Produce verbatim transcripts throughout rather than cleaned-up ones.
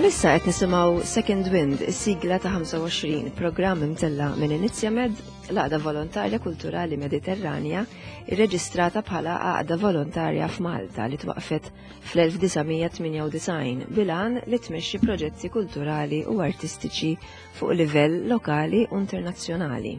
Bħalissa qed nisimgħu Second Wind, is-sigla ta' ħamsa u għoxrin, programm imtella minn Inizjamed, l-Għaqda Volontarja Kulturali Mediterranja, irreġistrata bħala għaqda volontarja f'Malta li twaqfet fl-elf disa' mija tmienja u disgħin bil-għan li tmexxi proġetti kulturali u artistiċi fuq livell lokali u internazzjonali.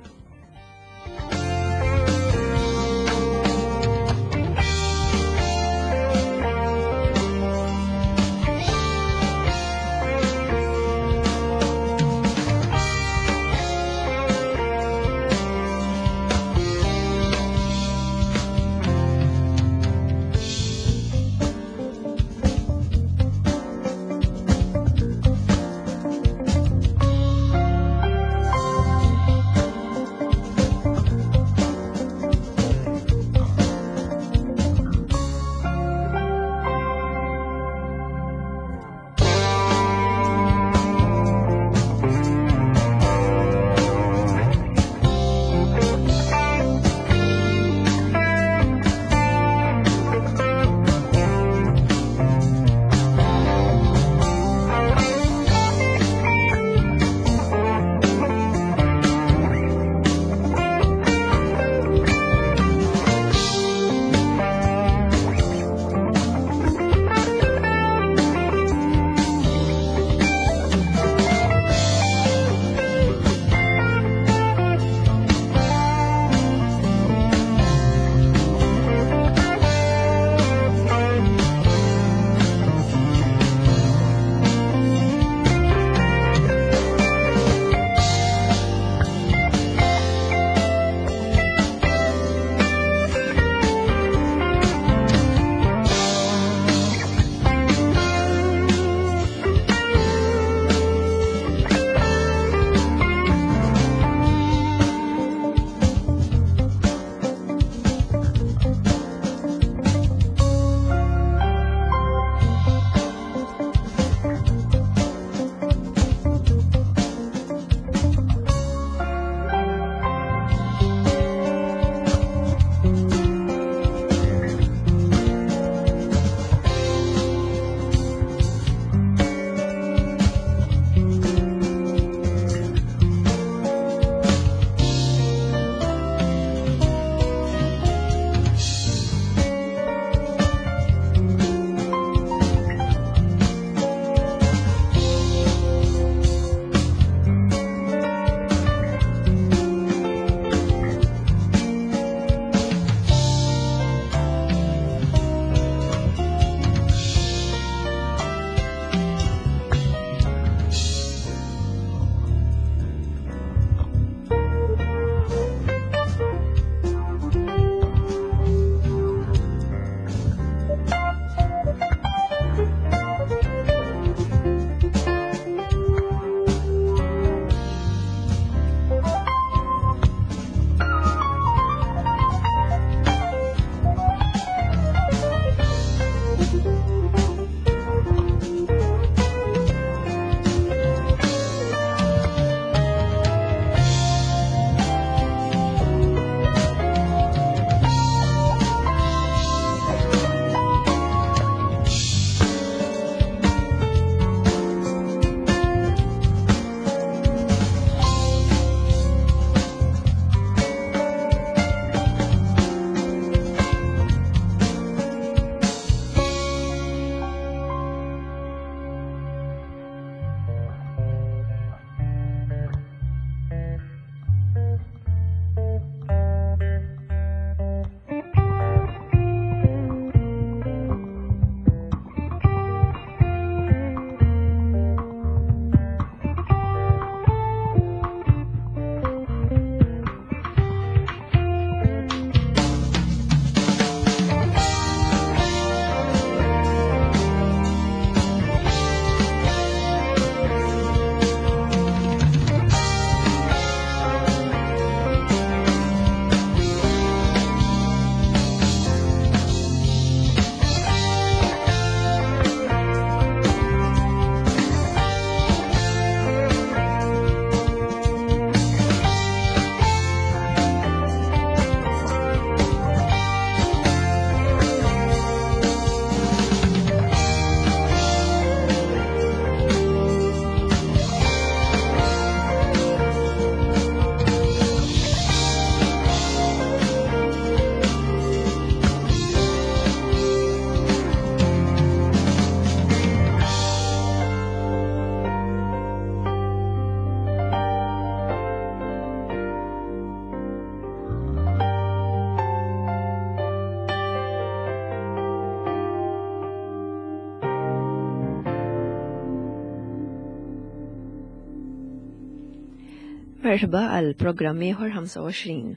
Merħba għal programm ieħor ħamsa u għoxrin.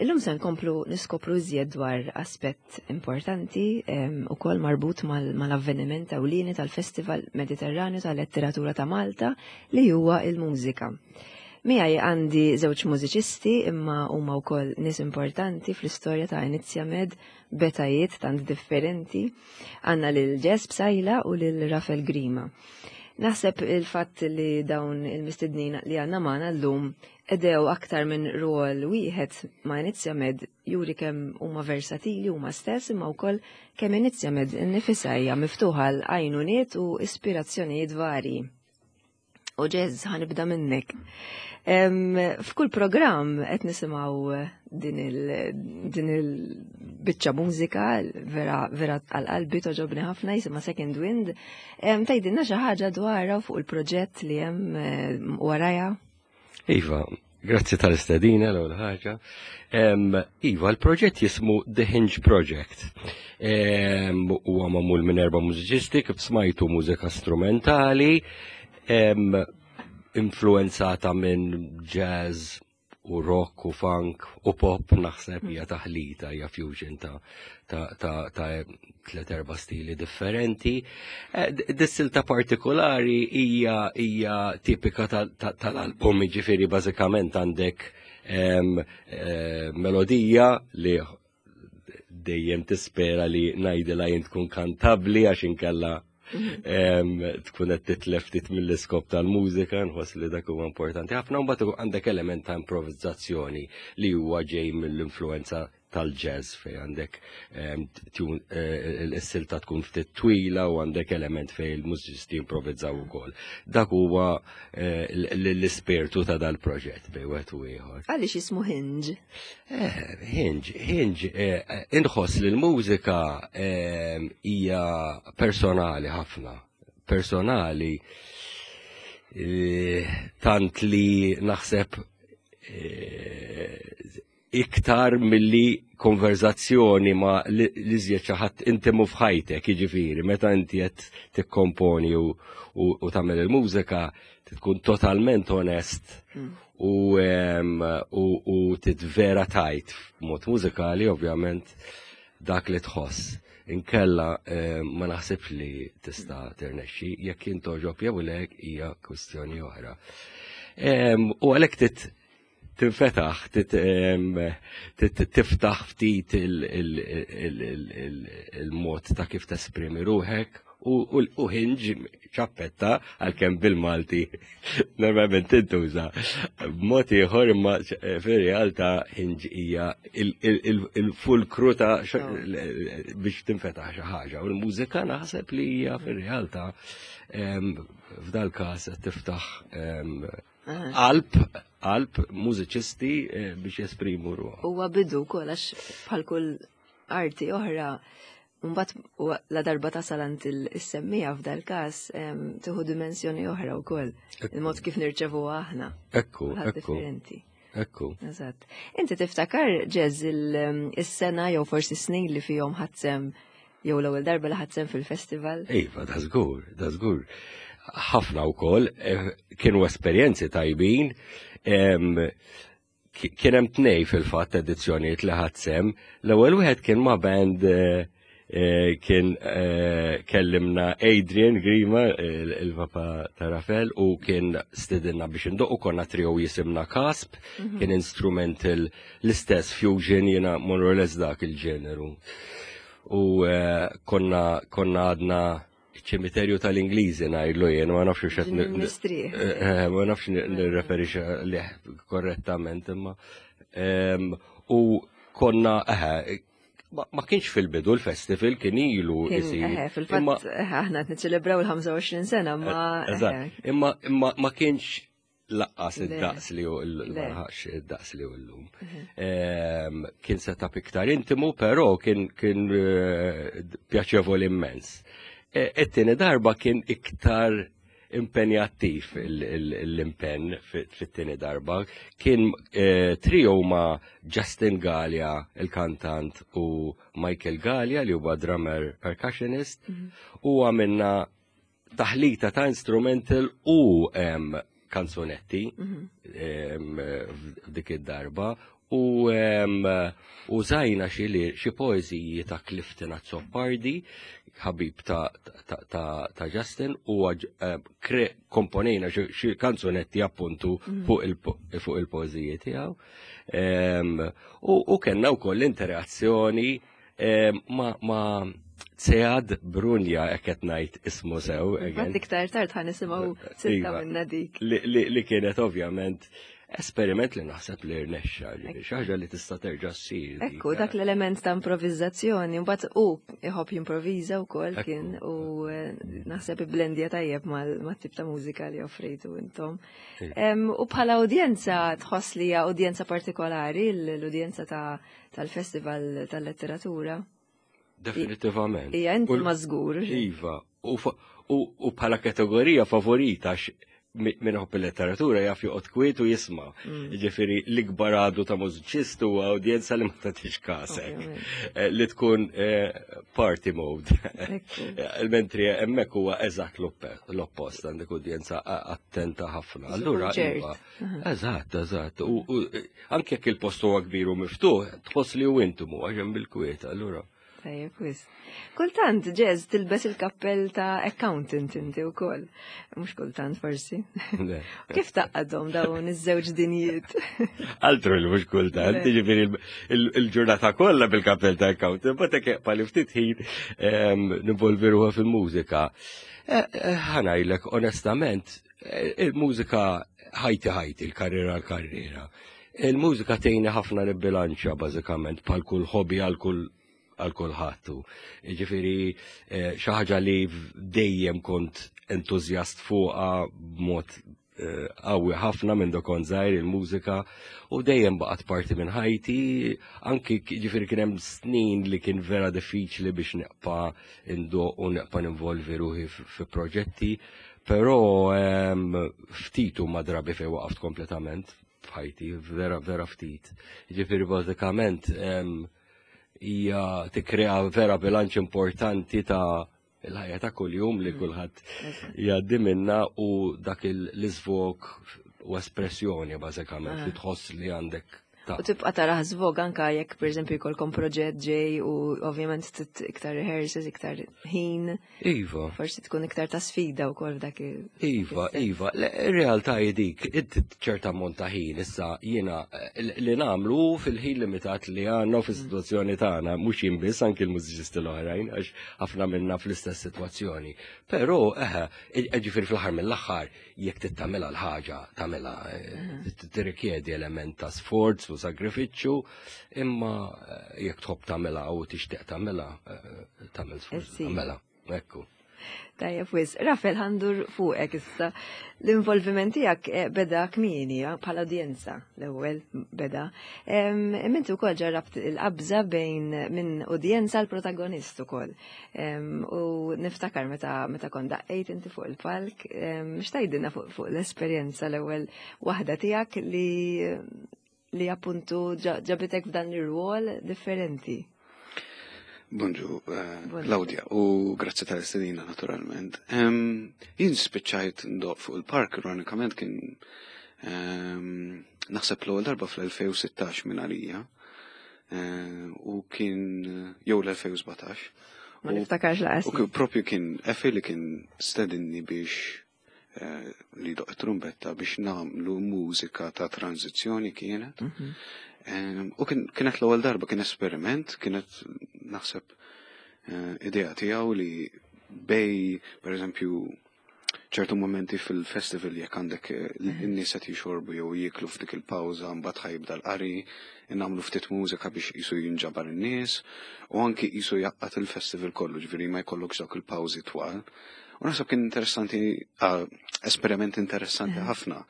Illum se nkomplu niskopru iżjed dwar aspett importanti ukoll marbut mal-avveniment ewlieni tal-Festival Mediterranju tal-Letteratura ta' Malta, li huwa il-mużika. Miegħi għandi żewġ mużiċisti, imma huma wkoll nies importanti fl-istorja ta' Inizjamed b'etajiet tant differenti. Għandna lil Ġes Psaila u lil Rafael Grima. Naħseb il-fatt li dawn il-mistednin li għandna magħna llum qdew aktar minn rol wieħed ma' Inizjamed juri kemm huma versatili huma stess, imma wkoll kemm Inizjamed innifisha hija miftuħa għal għajnuniet u ispirazzjonijiet varji. U Ġez, ħa nibda minnek. F'kull programm qed nisimgħu din il-biċċa mużika vera vera għal-qalbi, togħġobni ħafna, jisimha Second Wind. Tgħidilna xi ħaġa dwarha, fuq il-proġett li hemm warajha? Iva, grazzi tal-istedina l-ewwel ħaġa. Iva, l-proġett jismu The Hinge Project. Huwa magħmul minn erba' mużiċisti, kif smajtu, mużika strumentali influenzata minn jazz u rock u funk u pop. Naħseb hija taħlita, hija fusion ta' ta' ta' ta' tliet erba' stili differenti. Eh, dis-silta partikolari hija hija tipika tal-album, ġifieri bażikament għandek eh, melodija li dejjem tispera li ngħidilha jien tkun kantabli, għax inkella tkun qed titlef ftit mill-iskop tal-mużika. Nħoss li dak huwa importanti ħafna. Mbagħad għandek element ta' improvizzazzjoni li huwa ġej mill-influenza tal-jazz, fej għandek eh, il-silta tkun ftit twila u għandek element fej il-mużiċisti improvizzaw ukoll. Dak huwa eh, l-ispirtu ta' dal-proġett bej wieħed u ieħor. Għaliex jismu Hinge? Eh, Hinge, Hinge, inħoss li l-mużika hija personali ħafna. Personali tant li naħseb iktar milli konverzazzjoni ma l-iżjed xi ħadd intimu f'ħajtek, jiġifieri meta inti qed tikkomponi u, u, u tagħmel il-mużika tkun totalment onest mm. u, u, u titvera tajt f'mod mużikali, ovvjament, dak li tħoss. Inkella ma naħsibx li tista' tirnexxi. Jekk jintogħġob jew le hija kwistjoni oħra. U għalhekk tinfetaħ, tiftaħ ftit il-mod ta' kif tesprimi ruħek u hinge, ċappetta, għalkemm bil-Malti normalment tintuża b'mod ieħor, imma fir-realtà hinge hija il-fulkru ta' biex tinfetaħ xi ħaġa, u l-mużika naħseb li hija fir-realtà f'dal każ tiftaħ qalb qalb mużiċisti eh, biex jesprimu ruħ. Huwa bidu wkoll, għax bħal kull arti oħra, mbagħad la darba tasal għand is-semmiegħa, f'dal każ tieħu dimensjoni oħra wkoll. Il-mod kif nirċevu aħna. Ekku, ekku. Ekku. Eżatt. Inti tiftakar, Ġez, il-sena jew forsi snin li fihom ħadt sehem, jew l-ewwel darba li ħadt sehem fil-festival? Iva, da żgur, da żgur. Ħafna wkoll eh, kienu esperjenzi tajbin. Kien hemm tnej fil-fatt edizzjonijiet li ħadt sehem. L-ewwel wieħed kien ma' band, eh, eh, kien kellimna Adrian Grima, il-papa ta' Rafael, u kien stidinna biex indoqqu. Konna trio jisimna Kasp, mhm. kien instrumental, l-istess fusion, jiena more or less dak il-ġeneru. U konna konna għadna ċimiterju tal-Ingliżi ngħidlu jien, ma nafx x'qed eh, eh, ma nafx nirreferi li korrettament, imma u konna eħe, ma kienx fil-bidu l-festival, kien ilu isir. Fil-fatt aħna qed niċċelebraw il-ħamsa u għoxrin sena, ma Imma imma ma kienx lanqas id-daqs li hu id-daqs li hu llum. Kien setup iktar intimu, però kien kien eh, pjaċevoli immens. E, it-tieni darba kien iktar impenjattiv, l-impenn fit-tieni darba. Kien e, trio ma' Justin Gallia, il-kantant, u Michael Gallia, li huwa drummer percussionist, mhm. u għamilna taħlita ta' instrumental u kanzunetti em, f'dik id-darba u em, użajna xi li- xi poeżiji ta' Clifton Azzopardi, ħabib ta', ta, ta, ta' Justin, u għaġ- eh, kre- komponejna xi xi kanzunetti appuntu fuq il- fuq il-poeżiji tiegħu. Em, U, u kellna wkoll interazzjoni em, ma, ma Sead Brunja, jekk qed ngħid ismu sew, again. Fatt iktar tard ħa nisimgħu silta Iva. minna dik. li, li, li kienet ovvjament esperiment li naħseb li rnexxa, ġifieri, xi ħaġa li tista' terġa' ssir. dik. Ekku, dak l-element ta' improvizzazzjoni, mbagħad u iħobb jimprovviża wkoll Ekku. kien u eh, naħseb iblendja tajjeb mal-tip ta' mużika li offrejtu intom. Iva. Em, U bħala udjenza tħoss li hija udjenza partikolari l-udjenza ta' tal-Festival tal-Letteratura? Definitivament. Hija inti U- ma żgur. Iva, u, fa- u, u bħala kategorija favorita għax mi- min iħobb il-letteratura jaf joqgħod kwiet u jisma'. Mm. Ġifieri l-ikbar għadu ta' mużiċist huwa udjenza li ma tagħtix kasek. Ovvjament. Eh, Li tkun eh, party mode. Ekku. Il-mentri hemmhekk huwa eżatt l-oppe- l-oppost, għandek udjenza a- attenta ħafna. Allura, ċert. iva, eżatt, eżatt. U u, eh, anke jekk il-post huwa kbir u miftuħ, tħoss li hu intimu għax hemm bil-kwiet, allura. Tajjeb, wis. Kultant, Jazz, tilbes il-kappell ta' accountant inti wkoll. Mhux kultant forsi. Le. Kif tgħaqqadhom dawn iż-żewġ dinjiet? Altru li mhux kultant, Le. ġifieri il- il- il-ġurnata kollha bil-kappell ta' accountant, but hekk pali ftit ħin em, nivolvi ruħha fil-mużika. Eh, eh, Ħa ngħidlek, onestament, eh, il-mużika ħajti ħajti, il-karriera l-karriera. Il-mużika tgħinni ħafna nibbilanċja bażikament bħal kull hobby għal kull għal kulħadd. Ġifieri eh, xi ħaġa li dejjem kont entużjast fuqha b'mod eh, qawwi ħafna minn do kont żgħir il-mużika u dejjem baqgħet parti minn ħajti, anki ġifieri kien hemm snin li kien vera diffiċli biex nibqa' indoqq u nibqa' ninvolvi ruħi fi proġetti, però em, ftit huma drabi fejn waqaft kompletament f'ħajti, vera vera ftit. Ġifieri bażikament em, hija tikkrea vera bilanċ importanti ta' il-ħajja ta' kuljum li kulħadd jgħaddi minna u dak l-iżvog u espressjoni bażikament li tħoss li għandek ta' U tibqa tara żvog anka jekk pereżempju jkollkom proġett ġej u ovvjament tit iktar rehearsals, iktar ħin, Iva, forsi tkun iktar ta' sfida wkoll f'dak il- Iva, Iva, le- ir-realtà hi dik, inti ċerta ammont ta' ħin issa jiena eh, li nagħmlu fil-ħin limitat li għandna u fis-sitwazzjoni tagħna, mhux jien biss anki l-mużiċisti l-oħrajn, għax ħafna minna fl-istess sitwazzjoni. Però, eħe, ġifieri fl-aħħar mill-aħħar, jekk trid tagħmilha l-ħaġa, tagħmilha, eh, tirrikjedi element ta' sforz u sagrifiċċju, imma eh, jekk tħobb tagħmilha u tixtieq tagħmilha, eh, tagħmel sforz Issir. tagħmilha. Ekku. Tajjeb wis. Rafel, ħa ndur fuqek issa. L-involviment tiegħek eh, beda kmieni eh, bħala udjenza l-ewwel beda. Em, Inti wkoll ġarrabt il-qabża bejn minn udjenza l protagonist ukoll. Em, U niftakar meta meta kont daqqejt inti fuq il-palk, em, x'tgħidilna fuq fuq l-esperjenza l-ewwel waħda tiegħek li li appuntu ġa- ġabitek f'dan ir-rwol differenti. Bonġu, eh, Bonġu. Claudia, u grazzi tal-istedina naturalment. Em, Jien spiċċajt ndoqq fuq il-palk, ironikament kien em, naħseb l-ewwel darba fl-elfejn u sittax minn għalija, eh, u kien jew l-elfejn u sbatax. Ma U- niftakarx laqas. U kien- propju kien Efi li kien stedinni biex eh, li doq trumbetta biex nagħmlu mużika ta' tranzizzjoni kienet. Mhm. Em, U kien, kienet l-ewwel darba kien esperiment, kienet naħseb eh, idea tiegħu li bejn, per eżempju, ċertu momenti fil-festival jekk għandek eh, n-nies qed jixorbu jew jieklu f'dik il-pawża mbagħad ħa jibda l-qari, nagħmlu ftit mużika biex qisu jinġabar in-nies u anki qisu jgħaqqad il-festival kollu, ġifieri ma jkollokx dawk il-pawżi twal. U naħseb kien interessanti, ah, esperiment interessanti ħafna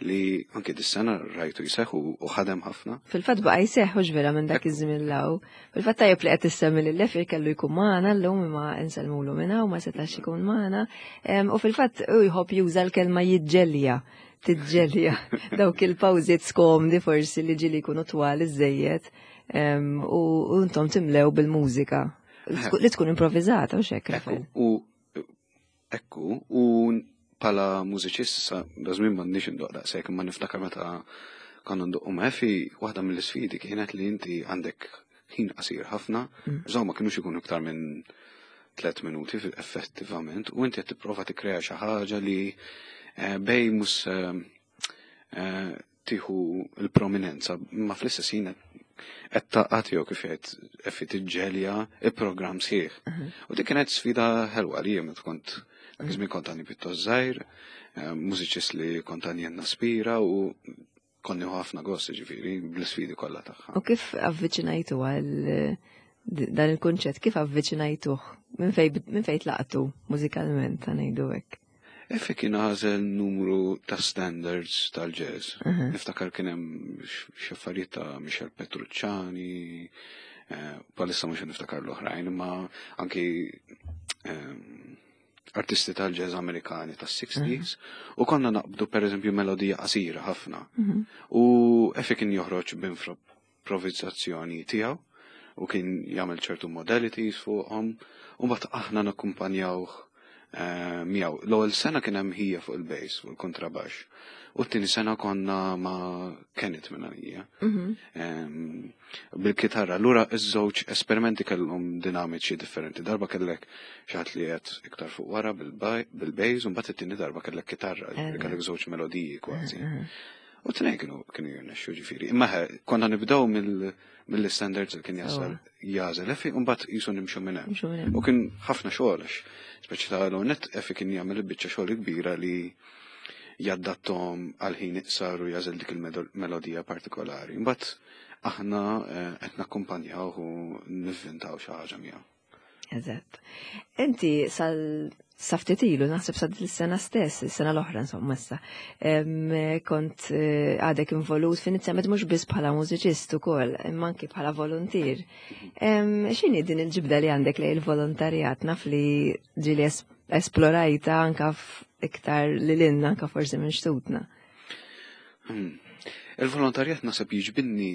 li anki dis-sena rajtu jseħ u u ħadem ħafna. Fil-fatt baqa jseħħ u vera minn dak iż-żmien law. Fil-fatt tajjeb li qed issemmi lil Lefir kellu jkun magħna llum imma insellmulu minna u ma setax ikun magħna. Em, U fil-fatt u jħobb juża l-kelma jiġġelja, tiġġelja dawk il-pawżiet skomdi forsi li ġieli jkunu twal iżejjed em, u u intom timlew bil-mużika li tkun improvviżata u xek, Ekku, Rafael. u ekku, u Bħala mużiċist sa dażmin m'għandniex indoq daqshekk, imma niftakar meta konna ndoqqu ma' Effie, waħda mill-isfidi kienet li inti għandek ħin qasir ħafna, mm. ma kienux ikunu iktar minn tliet minuti effettivament, u inti qed tipprova tikkrea xi ħaġa li eh, bej mhux eh, eh, tieħu l-prominenza, ma fl-istess ħin qed taqgħod jew kif qed Effie tiġġelja il-programm sħiħ. U dik kienet sfida ħelwa li jien meta kont dak iż-żmien kont għandi pjuttost żgħir, mużiċist li kont għandi naspira u konni ħafna gost ġifieri bl-isfidi kollha tagħha. U kif avviċinajtu għal dan il-kunċett, kif avviċinajtuh? Minn fejn tlaqtu mużikalment, ngħidu hekk? Effie kien għażel numru ta' standards tal-jazz. Niftakar kien hemm xi affarijiet ta' Michel Petrucciani, bħalissa mhux niftakar l-oħrajn, imma anki artisti tal-jazz Amerikani tas-sixties, u konna naqbdu per eżempju melodija qasira ħafna. U Effie kien joħroġ b'improvizzazzjoni tiegħu u kien jagħmel ċertu modalities fuqhom, u mbagħad aħna nakkumpanjawh miegħu. L-ewwel sena kien hemm ħija fuq il-bass, fuq il-kontrabax. U t-tieni sena konna ma' Kenneth minn għalija. Bil-kitarra. Allura iż-żewġ esperimenti kellhom dinamiċi differenti. Darba kellek xi ħadd li qed iktar fuq wara bil-bass, u mbagħad it-tieni darba kellek kitarra, kellek żewġ melodiji kważi. U t-tnejn kienu kienu jirnexxu ġifieri. Imma konna nibdew mill-standards li kien jasal jagħżel Effie, u mbagħad qisu nimxu minn hemm. U kien ħafna xogħol għax speċi ta' l-net Effie kien jagħmel biċċa xogħol kbira li jaddattom għal ħin iqsar u jagħżel dik il-melodija partikolari. Mbagħad aħna qed nakkumpanjaw u nivvintaw xi ħaġa miegħu. Eżatt. Inti sal sa ftit ilu, naħseb sa sena stess, is-sena l-oħra insomma issa, kont għadek involut f'Inizjamed mhux biss bħala mużiċist ukoll, imma anki bħala volontier. X'inhi din il-ġibda li għandek lejn il-volontarjat? Naf li ġieli esplorajta anka iktar lil hinn anka forsi minn xtutna. Il-volontarjat naħseb jiġbidni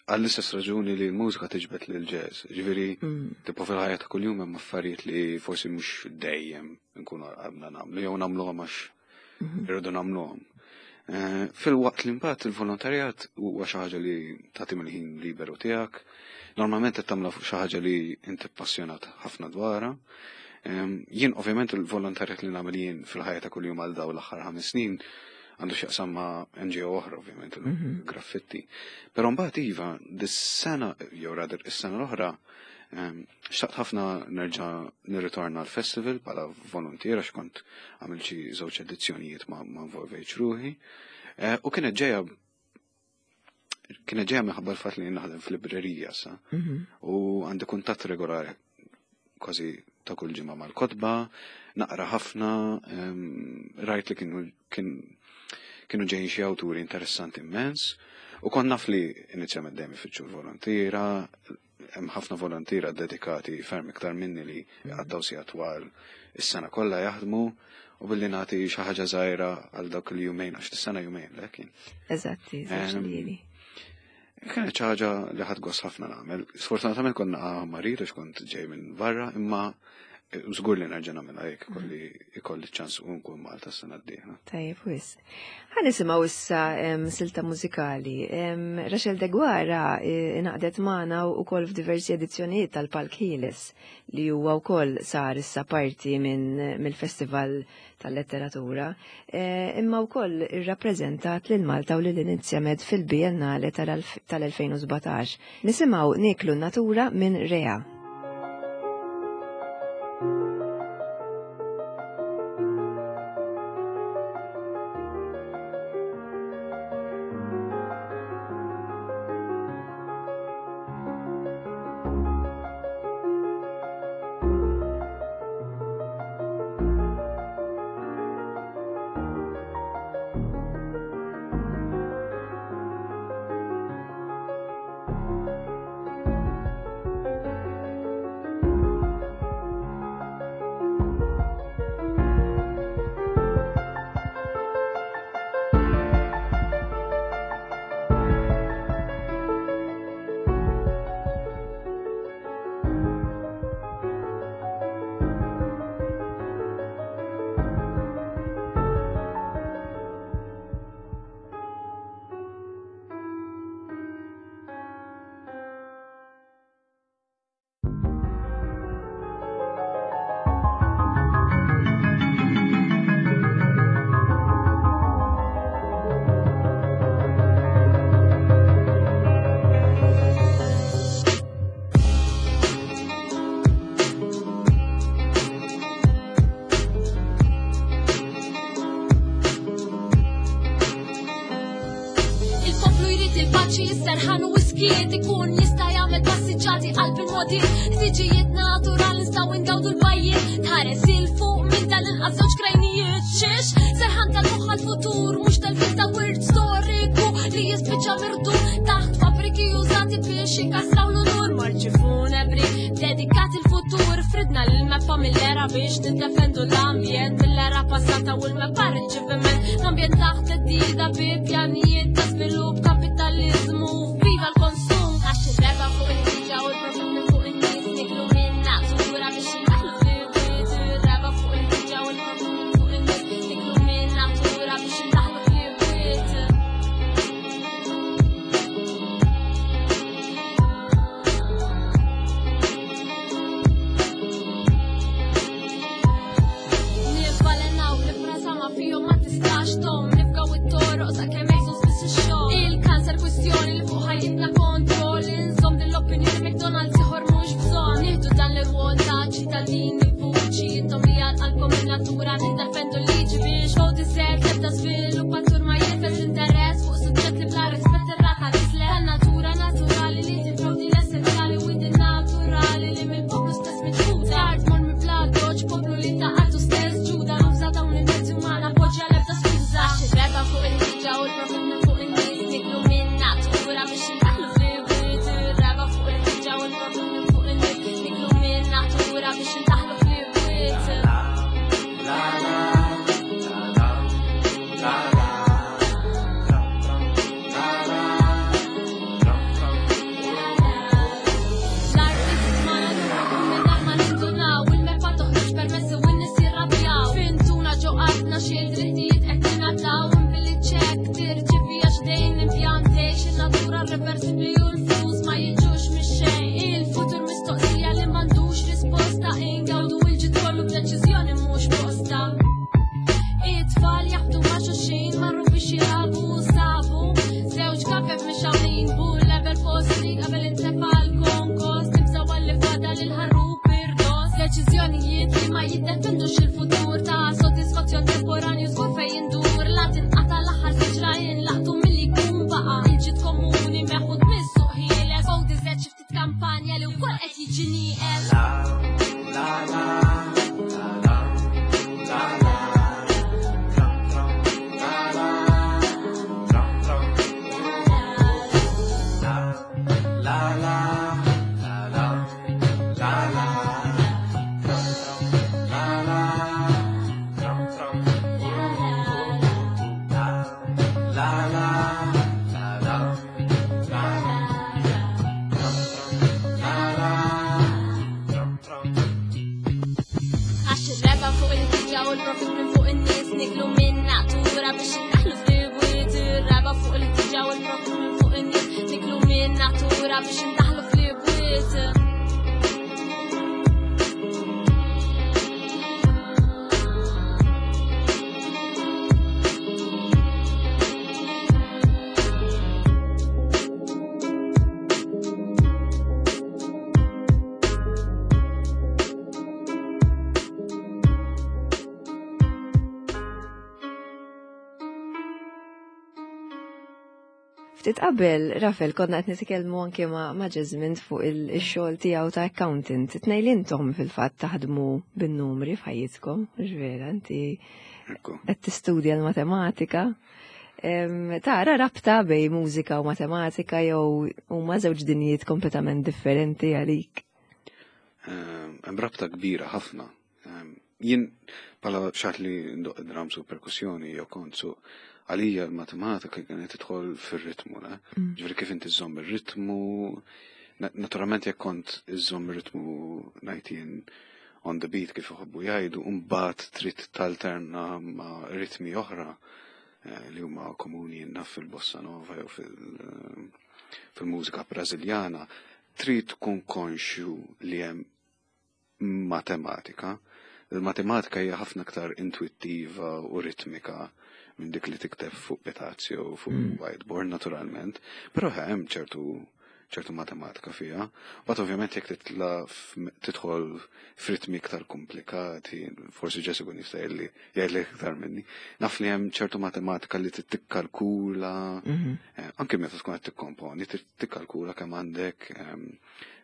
għall-istess raġuni li l-mużika tiġbed lil jazz. Ġifieri, tipo fil-ħajja ta' kuljum hemm affarijiet li forsi mhux dejjem nkunu għabna nagħmlu jew nagħmluhom għax irridu nagħmluhom. Fil-waqt li mbagħad il-volontarjat huwa xi ħaġa li tagħti mill-ħin liberu tiegħek. Normalment qed tagħmlu xi ħaġa li inti passjonat ħafna dwarha. Jien ovvjament il-volontarjat li nagħmel jien fil-ħajja ta' kuljum għal dawn l-aħħar ħames snin għandu x'jaqsam ma' N G O oħra, ovvjament, il-graffitti. Però mbagħad iva, dis-sena, jew rather is-sena l-oħra, xtaqt ħafna nerġa' nirritorna l-festival bħala volontier għax kont għamilt xi żewġ edizzjonijiet ma involvejtx ruħi. U kienet ġejja kienet ġejja minħabba l-fatt li naħdem fil-librerija sa. U għandi kuntatt regolari kważi ta' kull ġimgħa mal-kotba, naqra ħafna, rajt li kienu kien kienu ġejjin xi awturi interessanti immens, u kont naf li inizjament dejjem ifittxu l-volontiera, hemm ħafna volontiera dedikati ferm iktar minni li jqattgħu sigħat twal is-sena kollha jaħdmu, u billi nagħti xi ħaġa żgħira għal dawk il-jumejn, għax is-sena jumejn le kien. Eżatti, żewġ lili. Kienet xi ħaġa li ħadd gost ħafna nagħmel. Sfortunatament konna marid għax kont ġej minn barra, imma żgur li nerġa' nagħmilha jekk ikolli ikolli ċans u nkun Malta s-sena d-dieħla. Tajjeb, wis. Ħa nisimgħu issa silta mużikali. Rachel Deguara ingħaqdet magħna wkoll f'diversi edizzjonijiet tal-Palk Ħieles li huwa wkoll sar issa parti minn mill-Festival tal-Letteratura, imma wkoll irrappreżentat lil Malta u lil Inizjamed fil-Biennale tal-elfejn u sbatax. Nisimgħu Nieklu n-Natura minn Rea. Thank you. paċi, serħan u skiet, ikun jista' jagħmel passiġġati qalb il-modi, ħtiġijiet naturali nistgħu ngawdu l-bajjiet, tħares il fuq minn tal-inqas żewġ krajnijiet, xiex serħan tal-moħħ għall-futur, mhux tal-fil ta' wirt storiku li jispiċċa mirdu taħt fabbriki użati biex jikasraw l-unur, marċi funebri dedikat il-futur, fridna l-mappa mill-era biex niddefendu l-ambjent mill-era passata u l-mappa riċeviment, l-ambjent taħt theddida bi pjanijiet ta' żvilupp, kapitalizmu, viva l-konsum, għax ir-reba fuq il-ħiġa u l-profit minn fuq in-nies niklu minn natura biex indaħlu fil-wied, ir-reba fuq il-ħiġa u l-profit minn fuq in-nies niklu minn natura biex indaħlu fil-wied. Nibalenaw l-frasa ma fihom ma tistax tom, nifgaw it-toroq sakemm jgħidu spiss ix-xogħol. Il-kanser kwistjoni li fuq ħajjitna kontroll, inżomm din l-opinjoni McDonald's ieħor mhux bżonn. Nieħdu dan l-irwol ta' ċittadini vuċi, intom li għal qalbkom in-natura niddefendu l-liġi biex fuq diżert l-ebda żviluppatur ma jifes interess fuq suġġett li bla rispett ir-rata tislet. Tan-natura naturali li tipprovdi l-essenzjali u din naturali li mill-poplu stess miċħuda. Art mormi bla doċ, poplu li ta' artu stess ġuda, nuża dawn il-mezzi umana, poġġa l-ebda skuża. Għax ir-reba fuq il-ħiġa u l-profit minn fuq in-nies niklu minn natura biex indaħlu fil-wied, ir-reba fuq il-ħiġa u l-profit minn fuq in-nies niklu minn natura biex indaħlu fil-wied. L-artist ma nagħmlu mingħajr ma nindunaw, il-meppa toħroġ permessi u n-nies jirrabjaw. Fintuna ġo qalbna xi drittijiet qed ningħataw, billi ċekk tirċievi għax dejn l-impjantejx, in-natura reversibbli u l-flus ma jiġux mix-xejn. Il-futur mistoqsija li m'għandux risposta, ingawdu l-ġid kollu b'deċiżjoni mhux posta. It-tfal jaħbtu ma' xulxin, marru biex jilagħbu u sabu żewġ kafef mixgħulin, bull level postri qabel intefa' l-konkos, nibżgħu għalli fadal il-ħarrub irdos. Deċiżjonijiet li ma jiddefendux il-futur ta' sodisfazzjon temporanju żgur fejn jindur, la tinqata' l-aħħar siġra inlaqtu milli jkun baqa' il-ġid komuni meħud mis-suq ħieles. O diżed xi ftit kampanja li wkoll qed jiġi nieqes. Għax ir-reba fuq il-ħiġa u l-profit minn fuq in-nies niklu minn natura biex indaħlu fl-bwiet, ir-reba fuq il-ħtiġa u l-profit minn fuq in-nies niklu minn natura biex indaħlu fl-bwiet. Ftit qabel, Rafel, konna qed nitkellmu anke ma' ma' Jesmond fuq il-xogħol tiegħu ta' accountant. Tnejn li intom fil-fatt taħdmu bin-numri f'ħajjitkom, mhux vera, inti Ekku. qed tistudja l-matematika. Em, Tara rabta bej mużika u matematika jew huma żewġ dinjiet kompletament differenti għalik. Ehm, Hemm rabta kbira ħafna. Ehm, Jien bħala xaħat li ndoq drums u perkussjoni jew kont su għalija l-matematika kienet tidħol fir-ritmu, le? Ġifieri kif inti żżomm ir-ritmu, na- naturalment jekk kont iżżomm ir-ritmu ngħid jien on the beat kif iħobbu jgħidu, u mbagħad trid talterna ma' ritmi oħra eh, li huma komuni naf fil-bossa nova jew fil- fil-mużika brażiljana, trid tkun konxju li hemm matematika. Il-matematika hija ħafna aktar intuittiva u ritmika minn dik li tikteb fuq pitazzi u fuq whiteboard naturalment, però hemm ċertu ċertu matematika fiha. But ovvjament jekk titla tidħol f'ritmi iktar komplikati, forsi Jessica jista' jgħidli jgħidli iktar minni. Naf li hemm ċertu matematika li tikkalkula, Mhm. eh, anke meta tkun qed tikkomponi, trid tikkalkula kemm għandek ehm,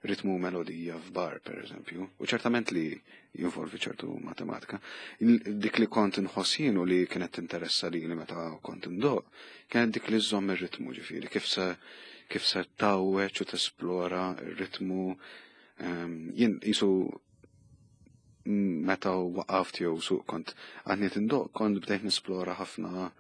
ritmu u melodija f'bar, per eżempju. U ċertament li jinvolvi ċertu matematika. Il- Dik li kont inħoss jien u li kienet tinteressa li li meta kont indoq, kienet dik li żżomm ir-ritmu ġifieri, kif se kif se tawweċ u tesplora ir-ritmu. Ehm, Jien jisu meta waqaft jew suq kont għadni tindoq, kont bdejt nesplora ħafna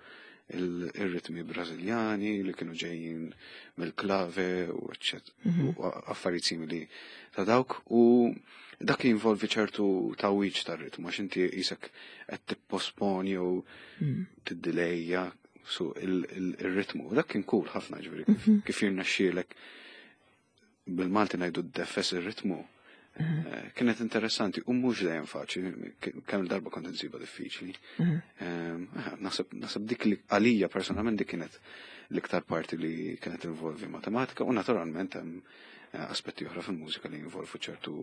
il- ir-ritmi Brażiljani li kienu ġejjin mill-clave u eccet Mhm. u affarijiet simili ta' dawk u dak jinvolvi ċertu tawwiġ tar-ritmu għax inti qisek qed tipposponi jew Mm. tiddilejja su il- il- il-ritmu. U dak kien cool ħafna ġifieri kif, Mhm. kif jirnexxielek bil-Malti ngħidu ddeffes ir-ritmu. Eh, Kienet interessanti u mhux dejjem faċli, kemm il-darba kont insibha diffiċli. Mhm. Ehm, eh, Naħseb naħseb dik li għalija personalment dik kienet l-iktar parti li kienet involvi matematika u naturalment hemm eh, aspetti oħra fil-mużika li jinvolvu ċertu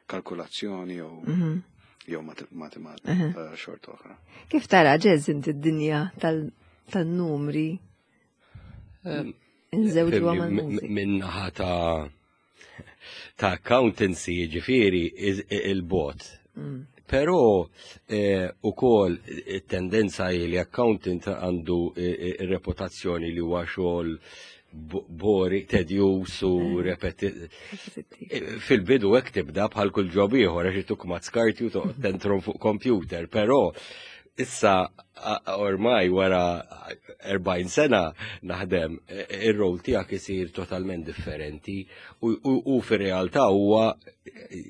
kalkulazzjoni jew Mhm. jew mate- matematika Mhm. ta' xorta oħra. Kif tara Jazz inti d-dinja tal- tal-numri nżewġuha Fimni, mal-mużika? Minnaħa ta' ta' accountancy ġifieri il-bot. Mm. Però eh, ukoll it-tendenza hi li accountant għandu eh, eh, reputazzjoni li huwa xogħol bo- boring, tedjus u repeti. Ripetittiv. Fil-bidu hekk tibda bħal kull job ieħor għax ituk ma skarti u toqgħod tentrom fuq computer, però issa a- ormai wara erbgħin sena naħdem, e- ir-rol tiegħek isir totalment differenti u, u, u fir-realtà huwa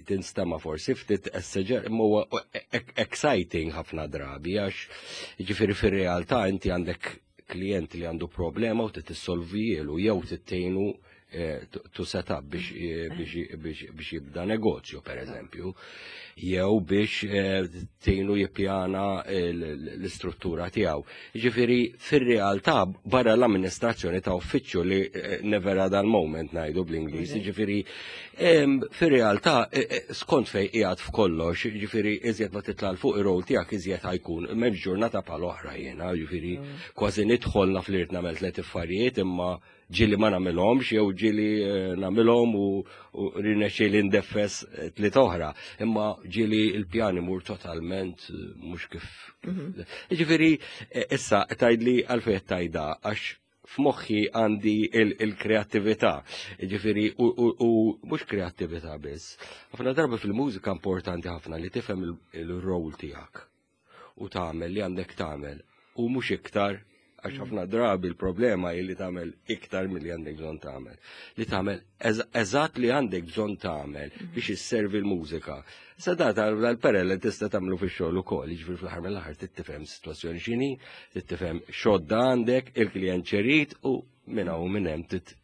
tinstema forsi ftit esseġer imma huwa e- exciting ħafna drabi għax ġifieri fir-realtà inti għandek klient li għandu problema u trid tissolvielu jew tittejnu eh, to- to set up biex, eh, biex, biex, biex jibda negozju, per eżempju, jew biex eh, tgħinu jippjana l- l-istruttura tiegħu. Ġifieri fir-realtà barra l-amministrazzjoni ta' uffiċċju li eh, never a dull moment ngħidu bl-Ingliż, ġifieri em, fir-realtà eh, eh, skont fej qiegħed f'kollox, ġifieri iżjed ma titla' 'l fuq ir-rol tiegħek iżjed ħa jkun m'hemmx ġurnata bħal oħra jiena, ġifieri kważi nidħol naf li rrid nagħmel tliet affarijiet imma ġieli ma nagħmilhomx jew ġieli eh, nagħmilhom u, u rinexxieli ndeffes eh, tliet oħra. Imma ġieli il-pjan imur totalment eh, mhux kif. Ġifieri eh, issa tgħidli għalfejn tajda għax f'moħħi għandi il-kreattività. Ġifieri u, u, u mhux kreattività biss. Ħafna darba fil-mużika importanti ħafna li tifhem il-rol tiegħek u tagħmel li għandek tagħmel u mhux iktar għax ħafna drabi il-problema hi li tagħmel iktar milli għandek bżonn tagħmel. Li tagħmel eżatt li għandek bżonn tagħmel biex isservi l-mużika. Sa da tal-perel tista' tagħmlu fix-xogħol ukoll, jiġifieri fl-aħħar mill-aħħar tifhem sitwazzjoni x'inhi, tifhem x'għodda għandek, il-klient x'irid u minn hawn u minn hemm tit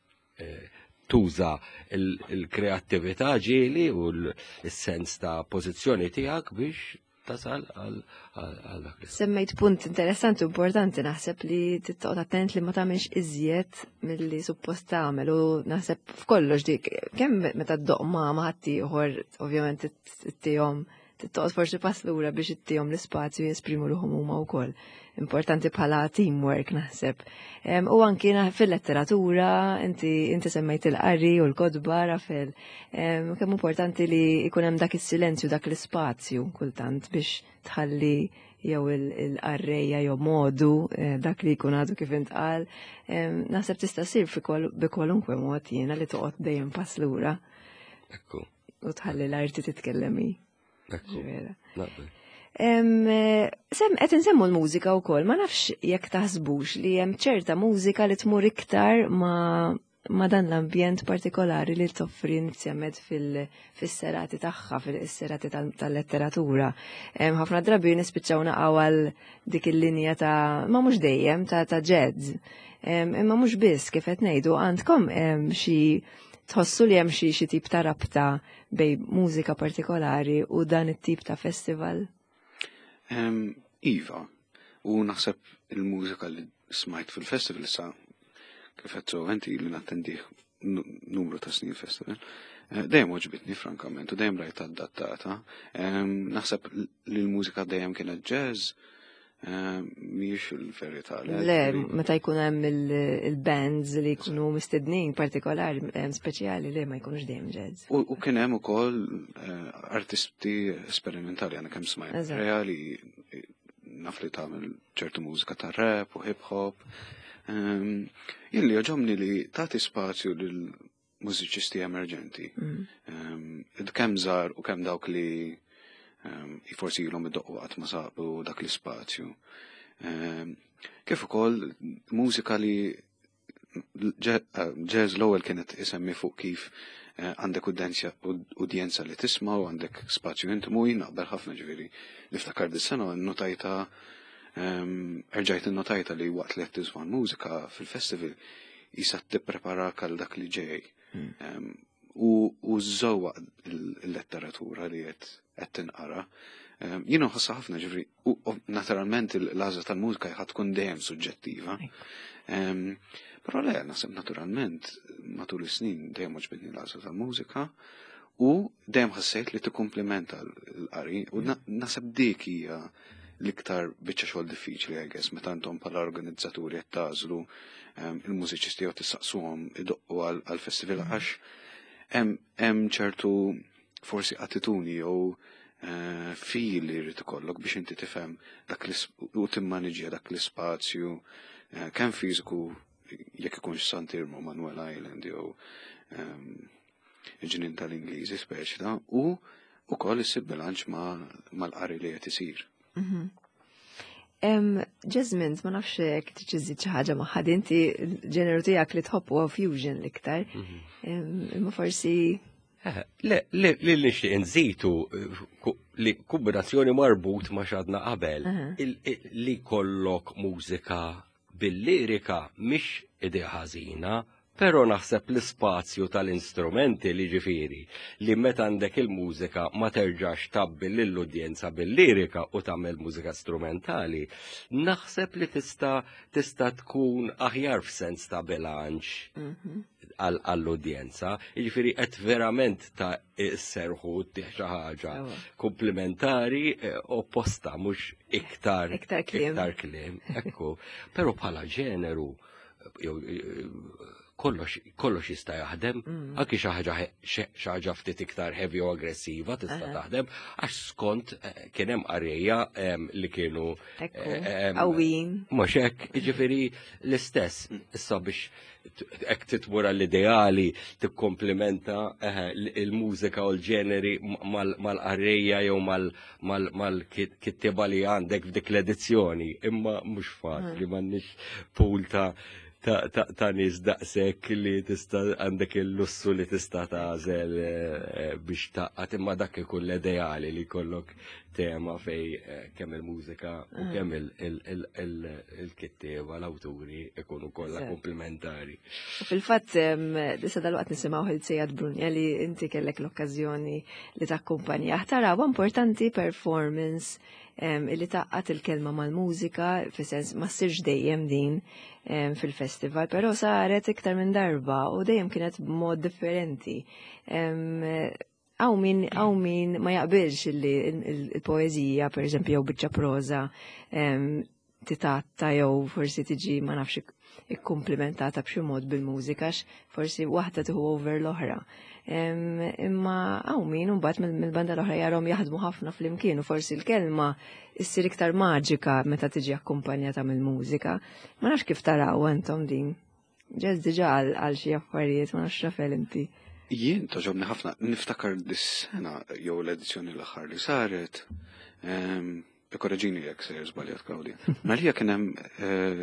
eh, tuża il-kreattività ġieli u l-sens ta' pożizzjoni tiegħek biex tasal għal għal dak li. Semmejt punt interessanti u importanti, naħseb li tittoqgħod attent li ma tagħmilx iżjed milli suppost tagħmel u naħseb f'kollox dik kemm meta ddoq ma' ma' ħaddieħor ovvjament ittihom tittoqgħod forsi pass lura biex ittihom l-ispazju jesprimu ruħhom huma wkoll. Importanti bħala teamwork naħseb. Em, U anki na- fil-letteratura, inti inti semmejt il-qari u l-kotba, Rafel. Em, Kemm importanti li jkun hemm dak is-silenzju, dak l-ispazju kultant biex tħalli jew il-qarrejja jew modu eh, dak li jkun għadu kif intqal. Em, Naħseb tista' ssir fi kwal- bi kwalunkwe mod jiena li toqgħod dejjem pass lura Ekku, u tħalli l-arti titkellem hi. ekku, Vera. naqbel. Em, eh, Sem, qed insemmu l-mużika wkoll, ma nafx jekk taħsbux li hemm ċerta mużika li tmur iktar ma, ma dan l-ambjent partikolari li toffri Inizjamed fil-serati tagħha, fil-serati tal-letteratura. Em, Ħafna drabi nispiċċaw naqgħu għal dik il-linja ta' ma mhux dejjem ta' ta' jazz. Em, Imma mhux biss kif qed ngħidu għandkom em, xi tħossu li hemm xi xi tip ta' rabta bejn mużika partikolari u dan it-tip ta' festival? Em, Iva, u naħseb il-mużika li smajt fil-festival issa kif qed so inti li nattendih numru ta' snin festival. Eh, dejjem għoġbitni frankament u dejjem rajt adattata. Naħseb li l-mużika dejjem kienet jazz, mhijiex il-verità. Le, meta jkun hemm il-bands li jkunu mistednin partikolari, speċjali, le, ma jkunux dejjem jazz. U kien hemm ukoll eh, artisti sperimentali, għana kemm smajt reali naf li tagħmel ċertu mużika ta' rap u hip hop. Jien li jogħġobni li tagħti spazju lil mużiċisti emerġenti. Mm. Kemm żgħar u kemm dawk li forsi ilhom idoqqu qatt ma sabu dak l-ispazju. Kif ukoll mużika li jazz l-ewwel kienet isemmi fuq kif eh, għandek udjenza li tisma' u għandek spazju intimu, jien naqbel ħafna. Ġifieri niftakar dis-sena notajta, erġajt notajta li waqt li qed tisma' mużika fil-festival jisa tippreparak għal dak li ġej. Hmm. U żewwa il-letteratura li qed qed tinqara. Jien nħossha ħafna, ġifieri, u naturalment l-għażla tal-mużika ħa tkun dejjem suġġettiva. Però le, naħseb naturalment matul is-snin dejjem għoġbitni l-għażla tal-mużika u dejjem ħassejt li tikkumplimenta l-qari u naħseb dik hija l-iktar biċċa xogħol diffiċli, I guess, meta intom bħala organizzaturi qed tagħżlu il-mużiċisti jew tistaqsuhom idoqqu għall-festival, għax hemm ċertu forsi attitudni jew eh, feel li jrid ikollok biex inti tifhem dak u timmaniġja dak l-ispazju eh, kemm fiżiku, jekk ikunx Sant'Iermu, Manuel Island jew ehm, il-ġnien tal-Ingliżi speċi ta' u ukoll issib bilanċ mal-qari li qed isir. Mhm. Jasmine, ma nafx jekk tixtieq xi ħaġa magħha, inti l-ġeneru tiegħek li tħobb huwa fusion l-iktar. Mhm. Imma forsi eh, Le, li li nixtieq nżitu eh, li kombinazzjoni marbut ma' x'għedna qabel, li kollok mużika bil-lirika mhix idea ħażina, pero naħseb l-ispazju tal-instrumenti li ġifieri li meta għandek il-mużika ma terġax tabbi lill-udjenza bil-lirika u tagħmel mużika strumentali, naħseb li tista' tista' tkun aħjar f'sens ta' bilanċ mhm. għall-udjenza. Jiġifieri qed verament ta' serħu xi ħaġa komplementari eh, opposta, mhux iktar iktar kliem. Iktar kliem, ekku. Però bħala ġeneru jew eh, kollox kollox jista' jaħdem, mm. anki xi ħaġa xi ħaġa ftit iktar heavy u aggressiva tista' taħdem, għax skont eh, kien hemm qarejja li kienu qawwijin. Mhux hekk, jiġifieri l-istess, issa biex hekk titmur l-ideali tikkomplimenta il-mużika u l-ġeneri mal-qarrejja jew mal-kittiba li għandek f'dik l-edizzjoni, imma mhux faċli, m'għandniex pool ta' ta' nies daqshekk li tista' għandek il-lussu li tista' tagħżel eh, biex taqqat, imma dak ikun l-ideali li jkollok tema fej eh, kemm il-mużika u ah. kemm il-kittieba, l-awturi ikunu kollha komplementari. Fil-fatt, issa dal-waqt nisimgħu il-Sejad Brunja li inti kellek l-okkażjoni li takkumpanja. Tara, importanti performance illi taqqat il-kelma mal-mużika, fis-sens ma ssirx dejjem din fil-festival, però saret iktar minn darba u dejjem kienet b'mod differenti. Hawn min, hawn min ma jaqbilx illi il-poezija, per eżempju, jew biċċa proza titatta jew forsi tiġi, ma nafx, ikkumplimentata b'xi mod bil-mużika, forsi waħda tieħu over l-oħra. Imma hawn min mbagħad mill-banda l-oħra jarahom jaħdmu ħafna flimkien u forsi l-kelma issir iktar maġika meta tiġi akkumpanjata mill-mużika. Ma nafx kif taraw intom din. Ġez diġà għal xi affarijiet, ma nafx, Rafel, inti. Jien togħġobni ħafna, niftakar dis-sena jew l-edizzjoni l-aħħar li saret, ikkoreġini jekk sejjer żbaljat, Claudia. Malija kien hemm eh,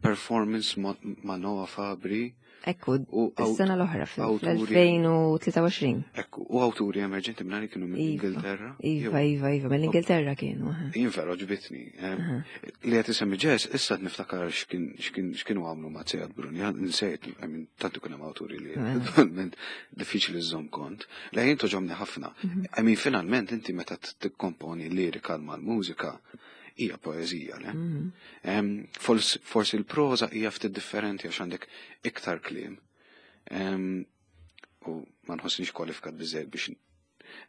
performance ma' Noah Fabri. Ekku, is-sena l-oħra fl-elfejn u tlieta u għoxrin. Ekku, u awturi emerġenti minnari kienu mill-Ingilterra. Iva, iva, iva, mill-Ingilterra kienu. Jien vera għoġbitni. Li qed isemmi Jazz, issa niftakar x'kienu għamlu ma' Sejad Brunja, nsejt, I mean, tantu kien hemm awturi li attualment diffiċli żżomm kont. Le, jien togħġobni ħafna. Mhm. I mean, finalment inti meta tikkomponi lirika mal-mużika, hija poeżija, le? Mhm. Forsi l-proza hija ftit differenti għax għandek iktar kliem. U ma nħossnix kwalifikat biżżejjed biex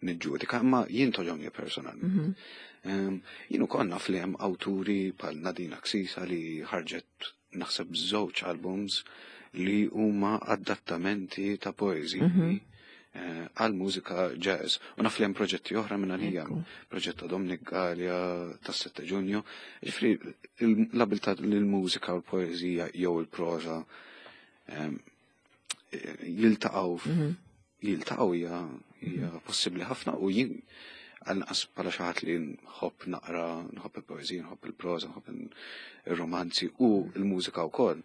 niġġudika, imma jien togħġobni personalment. Jien ukoll naf li hemm awturi bħal Nadine Axisa li ħarġet naħseb żewġ albums li huma adattamenti ta' poeżiji għal mużika jazz. U naf li hemm proġetti oħra minn għalija, proġett ta' Dominic Galea tas-sette Ġunju. Ġifieri l-abilità li l-mużika u l-poeżija jew il-proża jiltaqgħu jiltaqgħu hija hija possibbli ħafna u jien għal-nqas bħala xi ħadd li nħobb naqra, nħobb il-poeżija, nħobb il-proża, nħobb il-romanzi u l-mużika wkoll,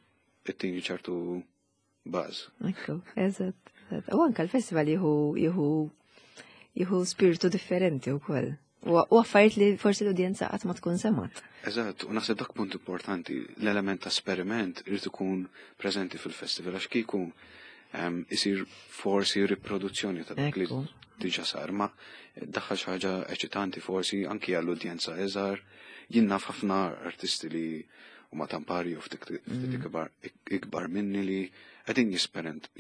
ittini ċertu baż. Ekku, eżatt. U anka l-festival jieħu jieħu jieħu spiritu differenti wkoll. U affarijiet li forsi l-udjenza qatt ma tkun semgħet. Eżatt, u naħseb dak punt importanti, l-element ta' esperiment irid ikun preżenti fil-festival għax kieku isir forsi riproduzzjoni ta' dak li diġà sar, ma daħħal xi ħaġa eċitanti forsi anki għall-udjenza iżgħar. Jien naf ħafna artisti li huma tampari u ftit ikbar ikbar minni li qegħdin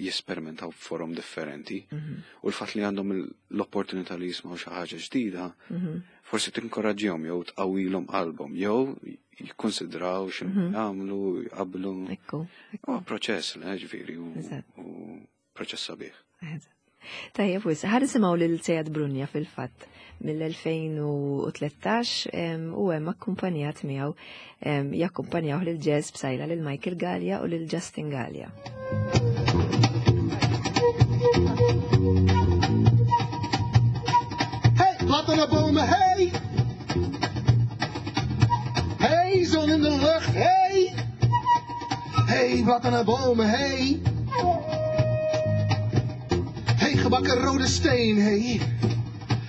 jesperimentaw f'forom differenti u l-fatt li għandhom l-opportunità li jismgħu xi ħaġa ġdida forsi tinkoraġġihom jew tqawwilhom qalbhom jew jikkonsidraw x'inhu jagħmlu, jqablu. Ekku. Huwa proċess, le, ġifieri, u proċess sabiħ. Tajjeb, wis, ħa nisimgħu lil Sejad Brunja fil-fatt mill-elfejn u tlettax u hemm akkumpanjat miegħu jakkumpanjaw lil Jazz Psaila lil Michael Galea u lil Justin Galea. Hey, laat naar bomen, hey! Hey, zon in de lucht, hey! Hey, wat naar bomen, hey! Hey, gebakken rode steen, hey!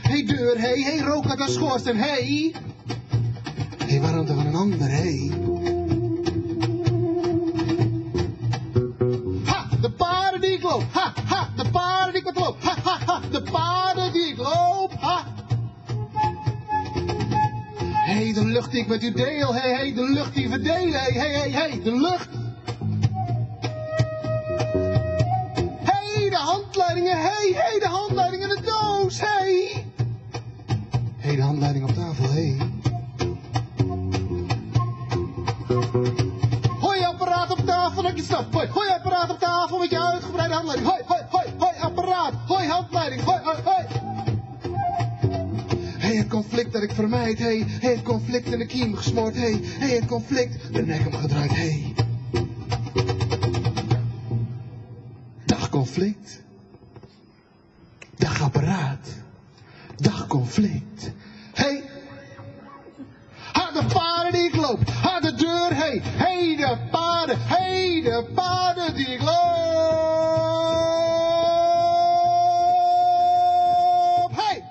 Hey, deur, hey, hey, rook uit de schoorsteen, hey! Hey, warmte van een ander, hey! Ha, de paarden die ik loop, ha, ha, de paarden die ik wat loop, ha, ha, ha, de paarden die ik loop, ha! Hey, de lucht die ik met u deel, hey, hey, de lucht die we delen, hey, hey, hey, hey, de lucht! Hey, de handleidingen, hey, hey, de handleiding in de doos, hey! Hey, de handleiding op tafel, hey. Hoi, apparaat op tafel, dat je snapt. Hoi, hoi, apparaat op tafel met je uitgebreide handleiding. Hoi, hoi, hoi, hoi, apparaat. Hoi, handleiding, hoi, hoi, hoi. Hey, het conflict dat ik vermijd, hey. Hey, het conflict in de kiem gesmoord, hey. Hey, het conflict, de nek omgedraaid, hey. Dag conflict. Dag apparaat. Dag conflict. Hey. Ha, de paarden die ik loop. Ha, de deur, hey. Hey, de paarden. Hey, de paarden die ik loop. Hey!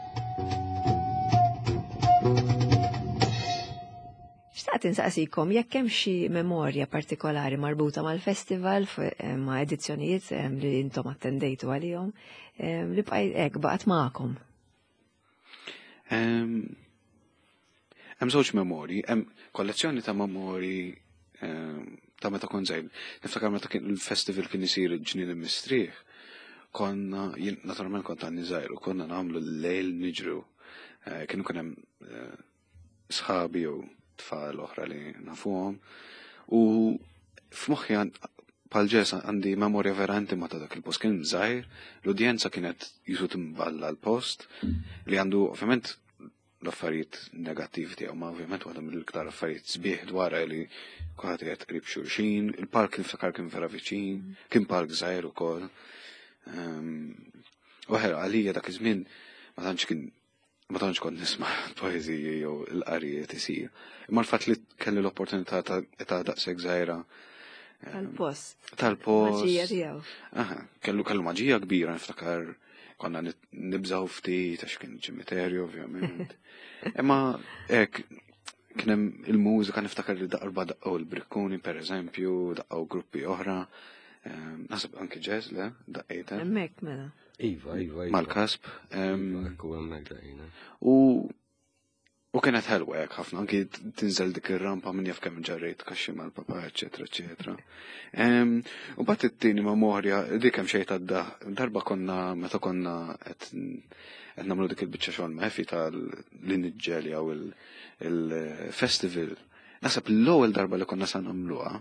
Xtaqt insaqsikom jekk hemm xi memorja partikolari marbuta mal-festival ma' edizzjonijiet li intom attendejtu għalihom li bqaj hekk baqgħet magħkom. Hemm żewġ memorji, hemm kollezzjoni ta' memorji ta' meta kont żgħir. Niftakar meta kien il-festival kien isir il-Ġnien il-Mistrieħ, konna, jien naturalment kont għadni żgħir u konna nagħmlu l-lejl niġru. Kienu kien hemm sħabi jew tfal oħra li nafuhom u f'moħħi bħal ġes għandi memorja vera intima ta' dak il-post. Kien żgħir, l-udjenza kienet jisu timballa l-post li għandu ovvjament l-affarijiet negattivi tiegħu, ma ovvjament waħda mill-iktar affarijiet sbieħ dwarha li kulħadd qiegħed qrib xulxin, il-park niftakar kien vera viċin, kien park żgħir ukoll. U ħera għalija dak iż-żmien ma tantx kien ma tantx kont nisma' poeżiji jew l-qarijiet isir. Imma l-fatt li kelli l-opportunità ta' età daqshekk żgħira Tal-post. Tal-post. Maġija tiegħu. Aha, kellu kellu maġija kbira niftakar konna nibżgħu ftit għax kien ċimiterju ovvjament. Imma hekk kien hemm il-mużika niftakar li darba daqqgħu l-Brikkuni pereżempju, daqqgħu gruppi oħra. Naħseb anki jazz le, daqqejta. Hemmhekk mela. Iva, iva, iva. Mal-kasb. Iva, ekku hemmhekk daqqejna. U U kienet ħelwa hekk ħafna, anki tinżel dik ir-rampa minn jaf kemm ġarrejt kaxxi mal-papa, eċetera, eċetera. U mbagħad it-tieni memorja, dik hemm xejn tad darba konna meta konna qed qed nagħmlu dik il-biċċa xogħol ma' Efi tal-li niġġeljaw il-festival. Naħseb l-ewwel darba li konna sa nagħmluha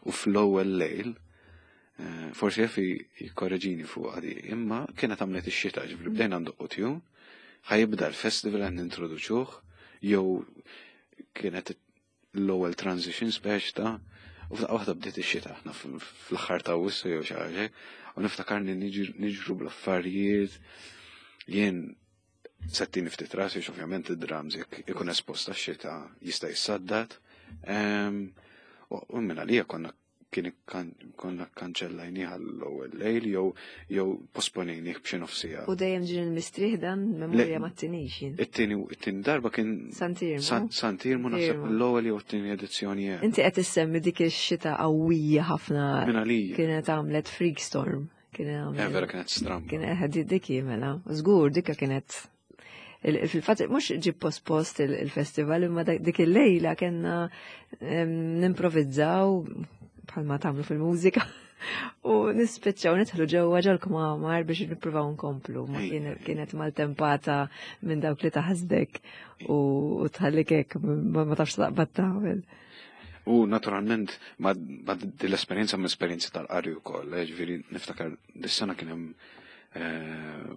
u fl-ewwel lejl, eh, forsi Efi jikkorreġini fuq għadi, imma kienet għamlet ix-xita, ġifieri bdejna ndoqqu tune, ħa jibda l-festival għan nintroduċuh, jew kienet l-ewwel transition speċ ta' u f'daqqa waħda bdiet ix-xita aħna fl-aħħar ta' Awwissu jew xi ħaġa, u niftakarni niġru bl-affarijiet jien settini ftit rasi, ovvjament id-drums jekk ikun esposta x-xita jista' jissaddad. U minn għalija konna kien konna kanċellajnieh l-ewwel lejl jew jew posponejnieh b'xi nofsija. U dejjem ġin il-mistrieħ dan memorja ma tinix jien. It-tieni it-tieni darba kien Sant'Iermu. Sant'Iermu naħseb l-ewwel jew it-tieni edizzjoni hekk. Inti qed issemmi dik ix-xita qawwija ħafna. Minn għalija. Kienet għamlet freak storm. Kienet għamlet. Eh, vera kienet stramba. Kienet dik mela. Żgur dikka kienet fil-fatt mhux ġib post-post il-festival imma dik il-lejla kellna nimprovizzaw bħalma tagħmlu fil-mużika u nispiċċaw nidħlu ġewwa ġol-kmamar biex nippruvaw nkomplu. Ma kienet maltempata minn dawk li taħsdek u tħallik hekk ma tafx taqbad tagħmel. U naturalment ma l-esperjenza ma esperjenza tal-qari wkoll, eh, ġifieri niftakar dis-sena kien hemm eh,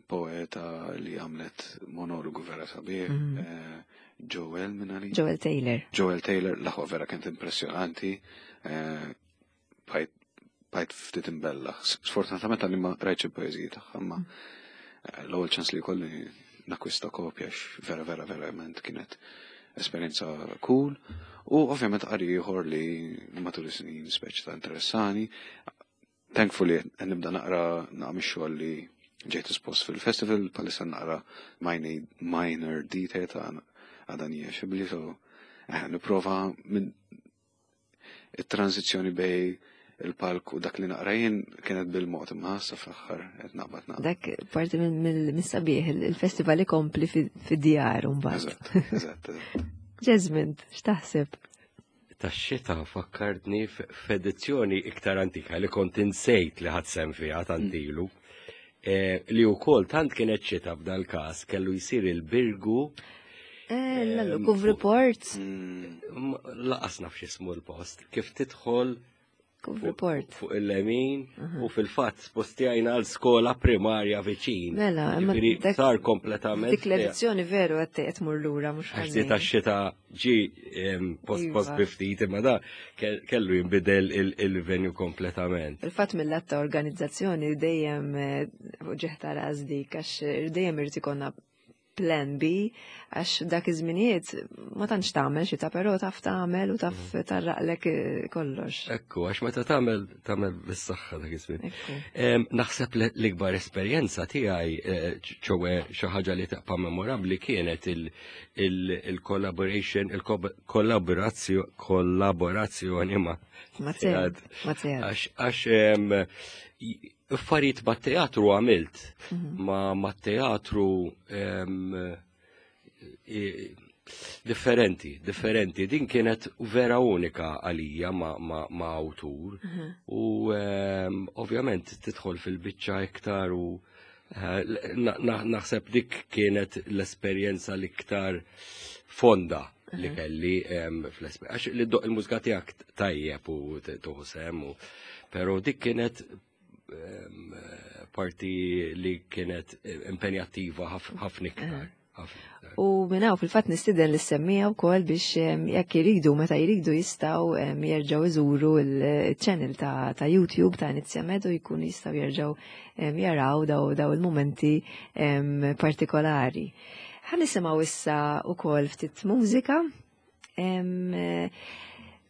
poeta li għamlet monologu vera sabiħ, mhm. eh, Joel minn għali? Joel Taylor. Joel Taylor, l-aħwa vera kienet impressjonanti, bajt ftit imbella. Sfortunatament għalli ma rajtx il-poeżiji tagħha, ma l-ewwel ċans li kolli nakwista kopja vera vera verament kienet esperjenza cool. U ovvjament qari ieħor li matul is-snin speċi ta' interessani. Thankfully nibda naqra naqra mix-xogħol li ġejt espost fil-festival, palissa naqra minor detail ta' Għadanija Xibli, so eh, nipprova minn it-tranzizzjoni bej il-palk u dak li naqra jien kienet bil-mod imma sa fl-aħħar qed naqbad naqra. Dak parti mill-sabiħ il-festival ikompli fid-djar mbagħad. Eżatt, eżatt. Jesmond, x'taħseb? Tax-xita fakkartni f'edizzjoni iktar antika li kont insejt li ħadt sehem fiha tant mm. ilu. Eh, li wkoll tant kienet xita f'dal każ kellu jsir il-Birgu. Eh, lallu, Kuf Report. Mm, laqas naf x'ismu l-post. Kif tidħol Kuf Report. Fuq il-lemin u fil-fatt spostjajna għal skola primarja viċin. Mela, sar kompletament. Dik l-edizzjoni veru qed qed mur lura mhux ħażin. Tax-xita ġi post post biftit imma da kellu jinbidel il-venue kompletament. Il-fatt mill-att ta' organizzazzjoni dejjem eh, ġeħta ras dik għax dejjem irid ikollna plan B għax dak iż-żminijiet ma tantx tagħmel xita però taf tagħmel u taf mm. tarraqlek eh, kollox. Ekku, għax meta tagħmel tagħmel bis-saħħa dak iż-żmien. Naħseb l-ikbar esperjenza tiegħi eh, ċowe xi ħaġa li taqpa' memorabbli kienet il-collaboration, il-kollaborazzjoni ma' Għax affarijiet ma' teatru għamilt, mhm. ma' ma' teatru differenti, differenti. Din kienet vera unika għalija ma', ma, ma awtur. Mhm. U ovvjament tidħol fil-biċċa iktar u eh, naħseb dik kienet l-esperjenza l-iktar fonda li mhm. kelli fl-esperjenza. Għax li ddoqq il-mużika tiegħek tajjeb u tuħsem, pero dik kienet parti li kienet impenjattiva ħafna iktar. U minnaw fil-fat nistiden l-semmija u kol biex jekk jiridu, meta jiridu jistgħu jerġgħu iżuru il-channel ta', ta YouTube ta' Inizjamed u jkun jistgħu jerġgħu jaraw daw, daw il-momenti partikolari. Ħa nisimgħu issa u kol ftit mużika.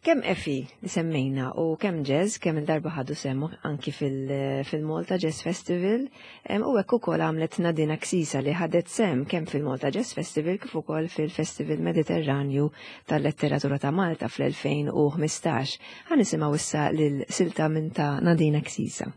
Kemm Efi li semmejna u kemm Jazz, kemm il-darba ħadu sehem anki fil-Malta Jazz Festival, u hekk ukoll għamlet Nadina Ksisa li ħadet sehem kemm fil-Malta Jazz Festival kif ukoll fil-Festival Mediterranju tal-Letteratura ta' Malta fl-elfejn u ħmistax. Ħa nisimgħu issa lil silta minn ta' Nadina Ksisa.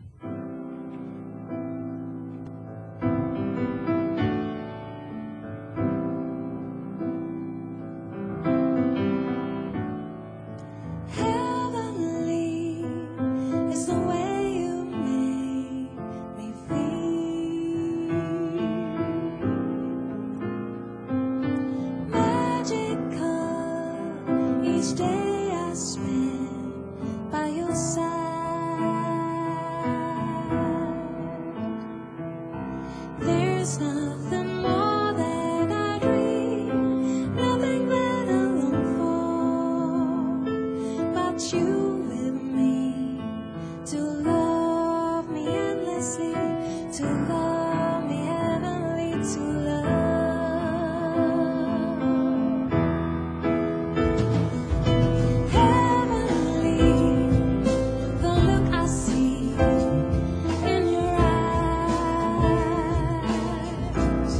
There's nothing more that I dream, nothing that I long for, but you with me, to love me endlessly, to love me heavenly, to love. Heavenly, the look I see in your eyes.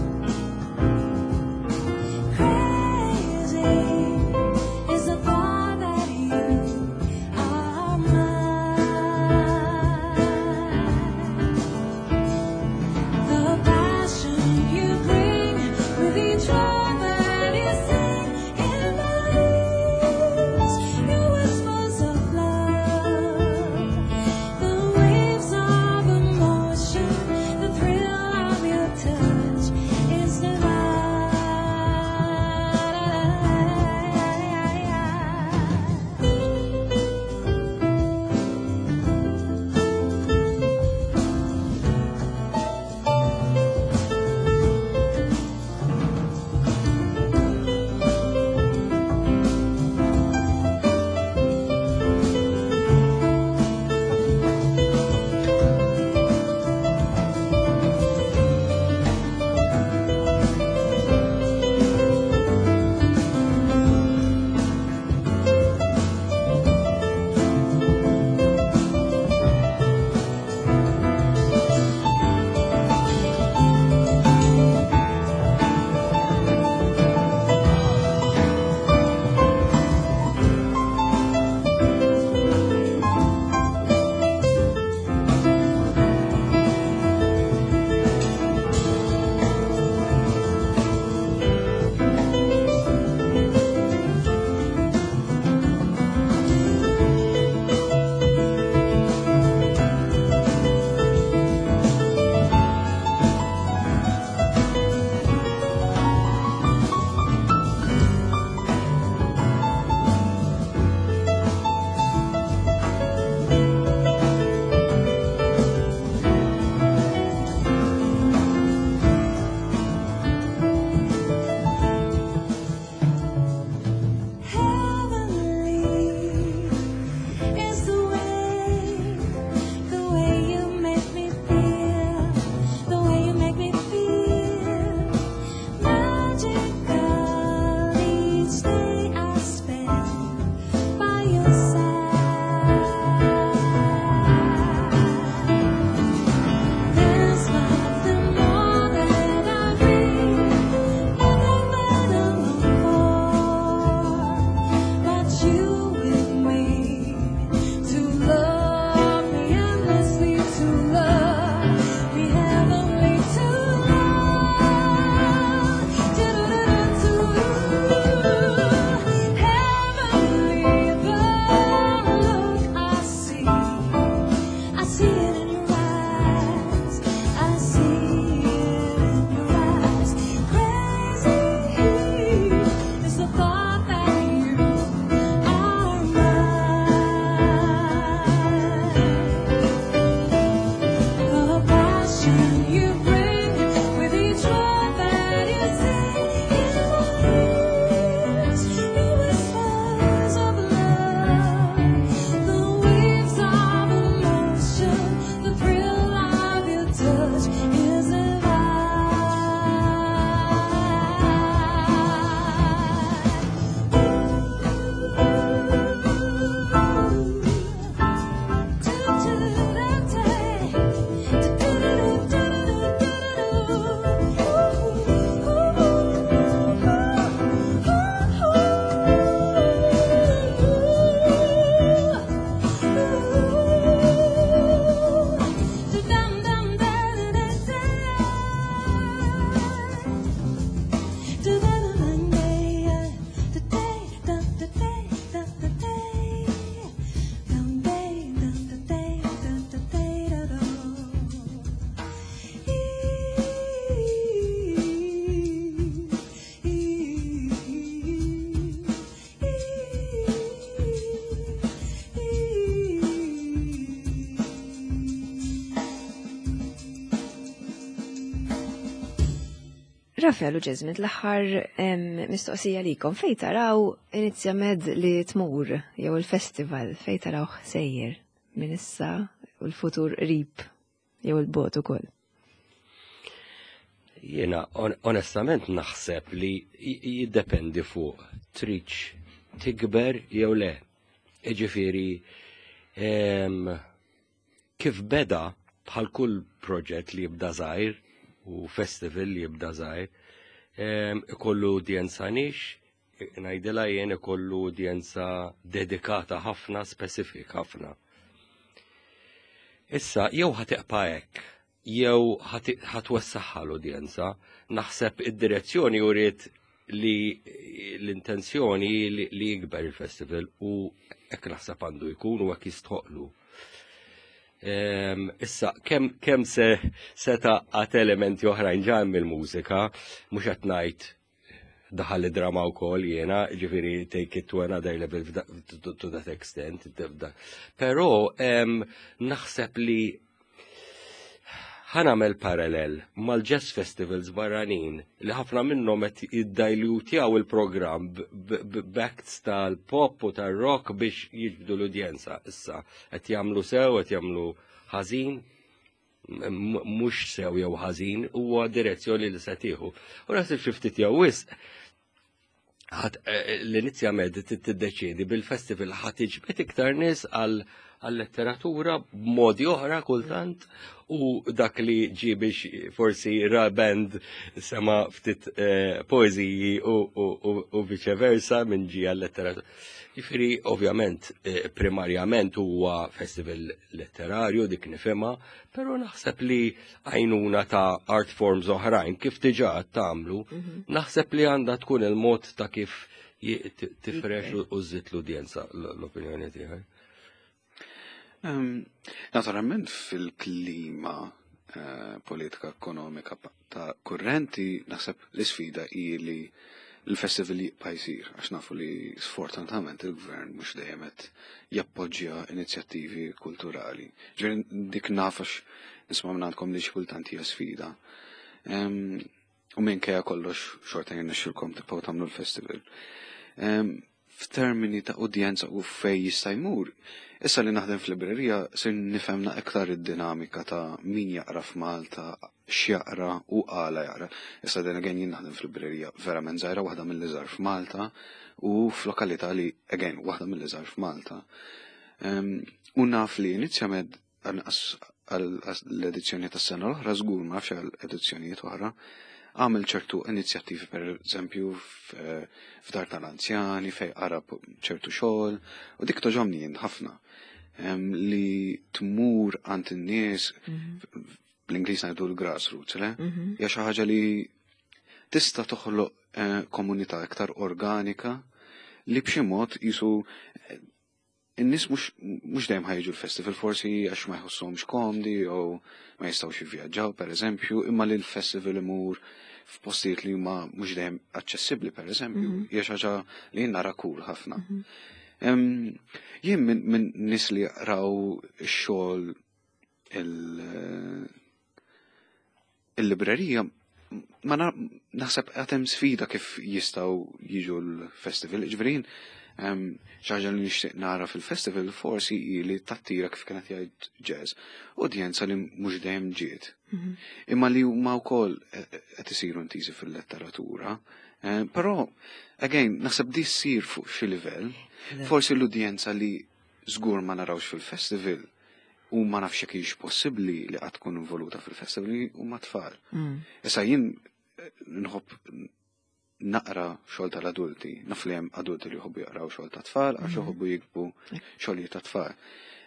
Rafael u Jesmond, l-aħħar mistoqsija likom, fej taraw Inizjamed li tmur jew il-festival, fej taraw sejjer minn issa u l-futur qrib jew il-bogħod ukoll? Jiena onestament naħseb li jiddependi fuq tridx tikber jew le. Iġifieri kif beda bħal kull proġett li jibda żgħir u festival li jibda żgħir, ikollu udjenza niche, ngħidilha jien ikollu udjenza dedikata ħafna, specific ħafna. Issa, jew ħa tibqa' hekk, jew ħa twessagħha l-udjenza, naħseb id-direzzjoni uriet li l-intenzjoni li, li jikber il-festival u hekk naħseb għandu jkun u hekk jistħoqlu. Issa, kem, kem se seta għat elementi oħrajn ġa mill-mużika, mhux qed ngħid daħal id-drama wkoll jiena, ġifieri take it to another level to, to that extent. Però naħseb li ħa nagħmel parallel mal-jazz festivals barranin li ħafna minnhom qed jiddilutjaw il-programm b'acts tal-pop u tal-rock biex jiġbdu l-udjenza. Issa qed jagħmlu sew, qed jagħmlu ħażin, mhux sew jew ħażin, huwa direzzjoni li se tieħu. U naħseb xi ftit jew wisq l-Inizjamed tiddeċiedi bil-festival ħa tiġbed iktar nies għal għal-letteratura b'modi oħra kultant u dak li ġi biex forsi ra band sema ftit eh, poeziji u, u, u, u viceversa minn ġi għal-letteratura. Ġifieri, ovvjament, eh, primarjament huwa festival letterarju dik nifhimha, però naħseb li għajnuna ta' art forms oħrajn kif diġà tagħmlu, mhm. naħseb li għandha tkun il-mod ta' kif tifrex u żżid l-udjenza l-opinjoni tiegħi. Naturalment fil-klima eh, politika ekonomika ta' kurrenti naħseb l-isfida hi li l-festival jibqa' jsir għax nafu li sfortunatament il-gvern mhux dejjem qed jappoġġja inizjattivi kulturali. Ġifieri dik nafx nisma' minn għandkom li xi kultant hija sfida. U minkejja kollox xorta jirnexxilkom tibqgħu tagħmlu l-festival. F'termini ta' udjenza u fej jista' jmur, issa li naħdem fl-librerija sir nifhemna iktar id-dinamika ta' min jaqra f'Malta, x'jaqra u għala jaqra. Issa then again jien naħdem fl-librerija verament żgħira waħda mill-iżgħar f'Malta u f'lokalità li again waħda mill-iżgħar f'Malta. U naf li Inizjamed għall-edizzjoni tas-sena l-oħra żgur ma nafx għall-edizzjonijiet oħra għamel ċertu inizjattivi per eżempju f'dar tal-anzjani fej qara ċertu xogħol u dik togħġobni jien ħafna li tmur għand in-nies mhm. bl-Ingliż ngħidu l-grassroots, le? Mhm. Hija xi ħaġa li tista' toħloq eh, komunità iktar organika li b'xi mod jisu eh, in-nies mhux dejjem ħa jiġu l-festival forsi għax ma jħossuhomx komdi jew ma jistgħux jivvjaġġaw pereżempju, imma li l-festival imur f'postijiet li huma mhux dejjem aċċessibbli pereżempju, mhm. hija xi ħaġa li jien nara cool ħafna. Mhm. Jien minn nies li jaqraw ix-xogħol il-librerija ma naħseb għad hemm sfida kif jistgħu jiġu l-festival, ġifieri xi ħaġa li nixtieq nara fil-festival forsi li tattira kif kienet jgħid Jazz, udjenza li mhux dejjem ġiet. Mhm. Imma li huma wkoll qed isiru intiżi fil-letteratura. Però, again, naħseb di ssir fuq xi livell, forsi l-udjenza li żgur ma narawx fil-festival u ma nafx jekk hix possibbli li qatt tkun involuta fil-festival huma tfal. Mm. Issa jien nħobb naqra xogħol tal-adulti, naf li hemm adulti li jħobbu jaqraw xogħol ta' tfal għax mhm. jħobbu jiktbu xogħlijiet ta' tfal.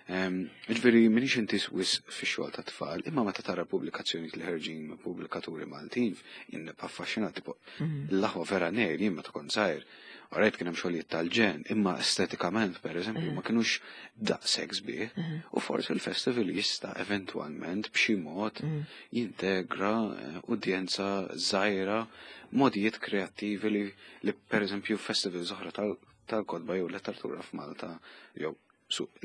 Ġifieri m'iniex intiż wisq fix-xogħol ta' tfal, imma meta tara pubblikazzjonijiet li ħerġin minn pubblikaturi Maltin, jien nibqa' affaxxinat tipo mhm. l-aħwa vera nejr jien meta kont żgħir. Rajt kien hemm xogħlijiet tal-ġen, imma estetikament pereżempju mhm. ma kinux daqshekk sbieħ. Mhm. U forsi l-festival jista' eventwalment b'xi mod jintegra eh, udjenza żgħira modijiet kreattivi li, li pereżempju festivals oħra tal-kotba jew letteratura f'Malta jew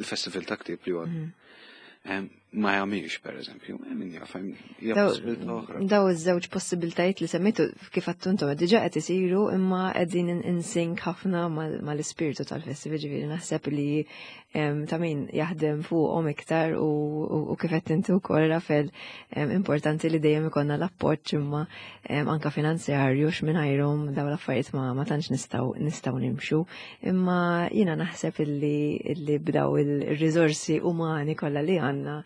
il-festival ta' ktieb li huwa mm. Ma jagħmilx, pereżempju, eh, min jaf, hija Daw- possibilità oħra. Daw iż-żewġ possibiltajiet li semmejtu, kif għedtu intom, diġà qed isiru, imma qegħdin in- in sync ħafna mal- mal-ispirtu tal-festival, ġifieri naħseb li em, ta' min jaħdem fuqhom iktar u, u, u kif qed inti wkoll, Rafel, em, importanti li dejjem ikollna l-appoġġ, imma em, anka finanzjarju, x'mingħajrhom daw l-affarijiet ma, ma tantx nistgħu nistgħu nimxu. Imma jiena naħseb illi, illi b'daw il-riżorsi umani kollha li għandna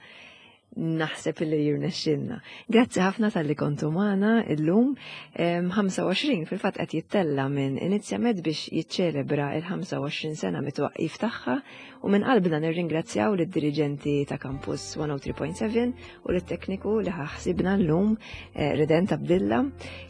naħseb illi jirnexxilna. Grazzi ħafna talli kontu magħna illum. Em, ħamsa u għoxrin fil-fatt qed jittella minn Inizjamed biex jiċċelebra il-ħamsa u għoxrin sena mit-twaqqif tagħha u minn qalbna nirringrazzjaw lid-diriġenti ta' Campus mija u tlieta punt seba' u lit-tekniku li ħa ħsiebna llum, eh, Redent Abdilla,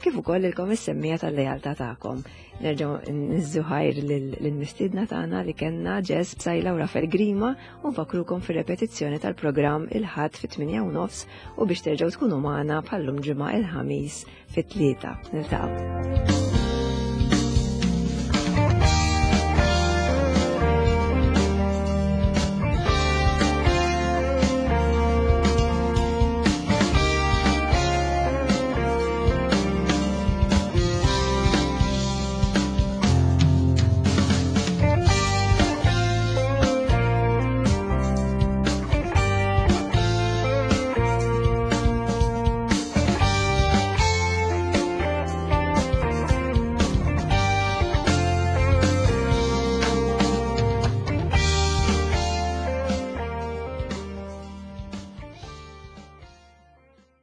kif ukoll lilkom is-semmiegħa tal-lealtà tagħkom. Nerġgħu niżżu ħajr lill-mistiedna tagħna li kellna, Jazz Psaila u Rafael Grima, u nfakrukom fir-repetizzjoni tal-programm il-Ħadd fit-tmienja u nofs u biex terġgħu tkunu magħna bħallum ġimgħa, il-Ħamis fit-tlieta. Niltaqgħu.